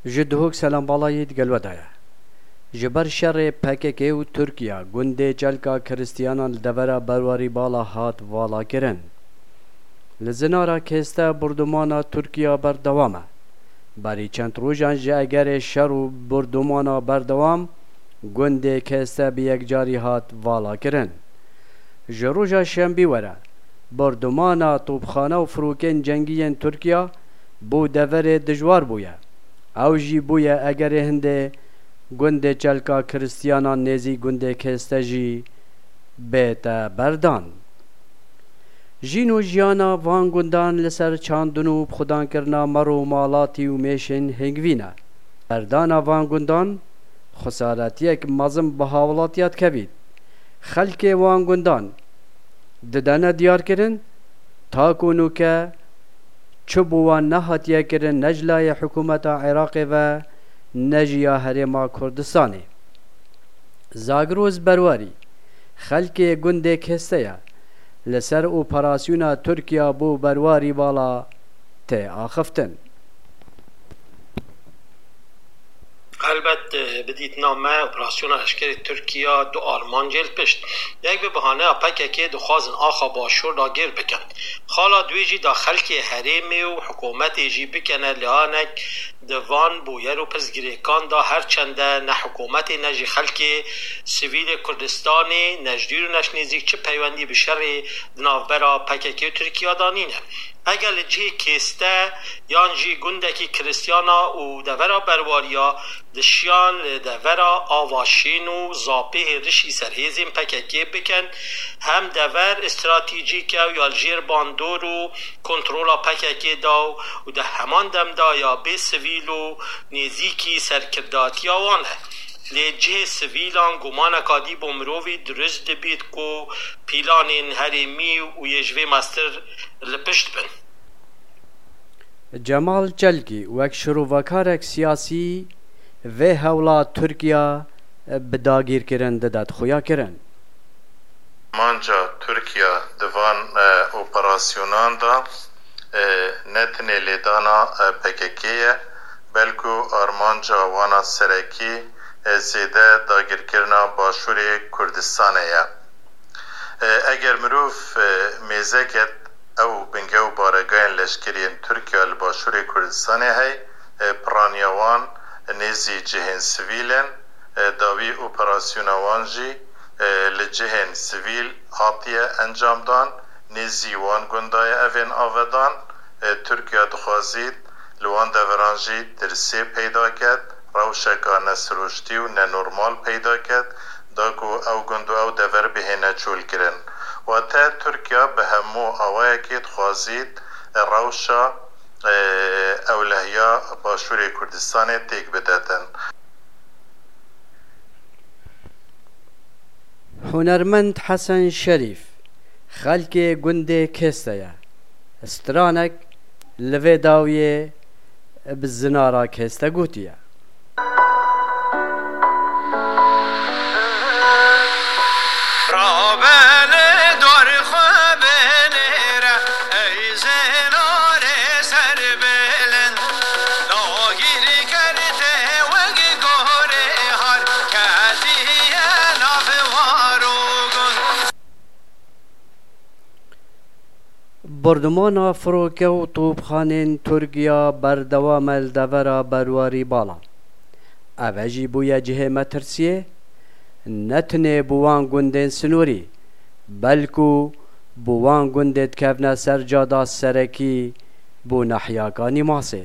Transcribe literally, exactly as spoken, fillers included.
Ji Duhok selam bala yê digel we de ye. Ji ber şerê P K K û Tirkiye, gundê Çelka Kristiyanan li devera Berwarî Bala hat valakirin. Li Zinara Kêste bordûmana Tirkiye berdewam e. Berî çend rojan ji egerê şer û bordûmana berdewam, gundê Kêste bi yekcarî hat valakirin. Ji roja şembî were, bordûmana topxane û firokên cengî yên Tirkiye bo deverê dijwar bûye. Ew jî bûye egerê hindê gundê Çelka Kristiyanan nêzî gundê Kêste jî bête berdan. Jîn û jiyana van gundan li ser çandin û bixwedankirina mer û malatî û mêşên hingvîn e. Berdana van gundan xwesaretiyek mezin bi hawlatiya dikevît. Xelkê wan gundan didene diyarkirin, ta ku nûke çi bo wan nehatiye kirin, ne ji layê hikûmeta Iraqê ve, ne jî ya Herêma Kurdistanê. Zagroz Berwarî, xelkê gundê Kêste ye, li ser operasyona Tirkiye bo Berwarî Bala tê axiftin. Helbet, e, bi dîtina me, operasyona leşkerê Tirkiye du armancê li pişt. Yek bi bahaneya P K K dixwazin axa Başûr dagir bikin. Xala duê jî da xelkê herêmê û hikûmetê jî bikene lanek di van bûyer û pirsgirêkan de, her çende ne hikûmetê ne jî xelkê sivîlê Kurdistanê ne ji dûr û ne ji nêzîk çi peywendî bi şerê di navbera P K K û Tirkiye de nîne. Eger li cihê Kêste yan jî gundekî Kristiyana û devera Berwariya dişiyan li devera Ava Şîn û Zapê hêrişî ser hêzên P K K bikin, hem dever stratejîk e û ya li jêr bandor û kontrola P K K de û di heman dem de ya bê sivîl û nêzîkî serkirdatiya wan e. Lê cihê sivîlan gumaneka dî bo mirovî dirust dibît ku pîlanên herêmî û yê ji vê mestir li pişt bin. Cemal Çelkî wek şirovekarek siyasî vê hewla Tirkiye bi dagîrkirin dide xuyakirin. Armanca Tirkiye di van, e, operasyonan de, e, ne tenê lêdana, e, P K K ye, belku armanca wana serekî, e, zêde dagirkirina Başûrê Kurdistanê ye. E, eger mirov, e, mêze ket ew binge û baregayên leşkerî yên Tirkiye li Başûrê Kurdistanê hey, e, piraniya wan nêzî cihên sivîl in, e, dawî operasyona wan jî, e, li cihên sivîl hatiye encamdan, nêzî wan gunda ye ev ên avedan, e, Tirkiye dixwazît li wan deveran jî tirsê peyda ket, rewşeka nesiroştî û nenormal peyda ket, da ku ew gund û ew dever bihêne çolkirin. Wate Tirkiye bi hemû awayekê dixwazît rewşa, e, ewlehiya Başûrê Kurdistanê têk bidetin. Hunermend Hesen Şerîf, xelkê gundê Kêste ye. Stranek li vê dawiyê bi Zinara Kêste gotiye. Rabe li dor xwe binêre, ey zinarê serbilind. Dagîrker te wek gorê har ketiye nav war û gund. Bordûmana firoke û topxanên Tirkiya berdewam e li devera Berwarî Bala. Ev e jî bûye cihê metirsiyê, ne tenê bo wan gundên sinorî, belku bo wan gundê dikevne ser cada serekî bo nehiya Kanîmasê.